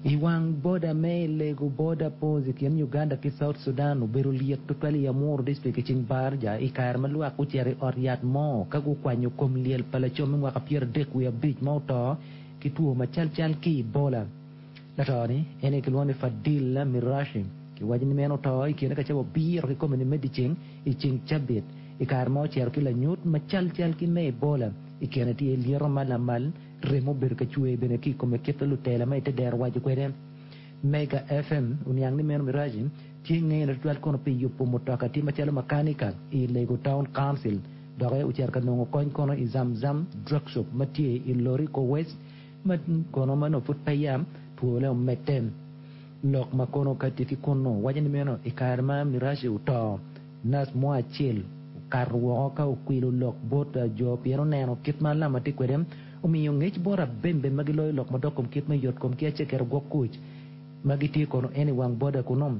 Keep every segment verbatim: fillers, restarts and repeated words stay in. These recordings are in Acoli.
I wang boda me Elegu Border Post i kin Uganda ki South Sudan obedo lyet tutwal i Amuru District i ceng Barja i kare ma lwak gucito i ot yat mo ka gukwanyo kom lyel pa laco me mwaka pyeradek wiye abic ma oto ki two macal cal ki Ebola. Lato-ni en aye kilwongo ni Fadil Mirashi. Kiwaco ni meno oto i kine ka cawa abiro kikome ni me dyeceng i ceng cabit i kare ma ocito ki lanyut macal cal ki me Ebola. I kine tye lyeto ma lamal, remo obedo ka cwer bene ki i kome kit ma lutela ma i te dero waco kwede. Mega FM oniang ni meno Mirashi tye ngene tutwal kono pi yubo mutoka tye macalo makanika i Lego Town Council dok ocito ka nongo kony kono i Zamzam Drug Shop ma tye i Loriko West ma kono ma nongo pud peya twole omedde. Lok ma kono ka tye ki kunnu waco ni meno i kare ma Mirashi oto, nac mo acel okato woko ka okwilo lok bot jo pien oneno kit ma alama tye kwede, omiyo ngec bot abembe ma giloyo lok madok kom kit me yotkom ki aceketo gwok kuc ma gitye kono en i wang boda kunnu.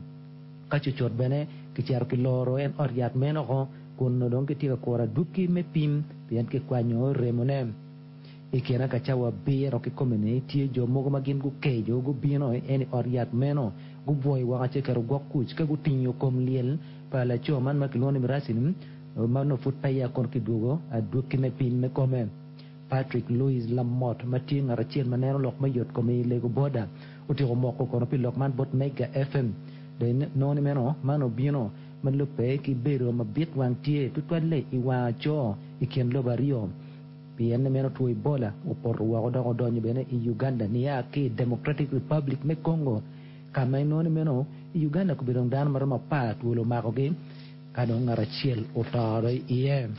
Ka cucut bene kicito kiloro en ot yat meno oko kun dong gitye ka kuro adwogi me pim pien kikwanyo remone. I kine ka cawa abiro kikome-ni tye jo mogo ma gin gukeco gubino en i ot yat meno gubwoyo woko aceketo gwok kuc ka gutingo kom lyel pa laco man ma kilwongo ni Mirashi-ni ma nongo pud peya kono kidwogo adwogi me pim me kome. Patrick Louis Lamot ma tye ngat acel ma neno lok me yotkom i Lego Boda otyeko moko kono pi lok man bot Mega FM. Dong inongo ni meno man obino ma lubbe ki bedo mabit wang tye tutwalle i wang aco i kin lobo aryo. Pien ni meno two Ebola opoto woko dok odonyo bene i Uganda nia ki i Democratic Republic me Congo ka ma inongo ni meno i Uganda kobedo dong dano ma romo apar twolo omakogi ka dong ngat acel oto iye.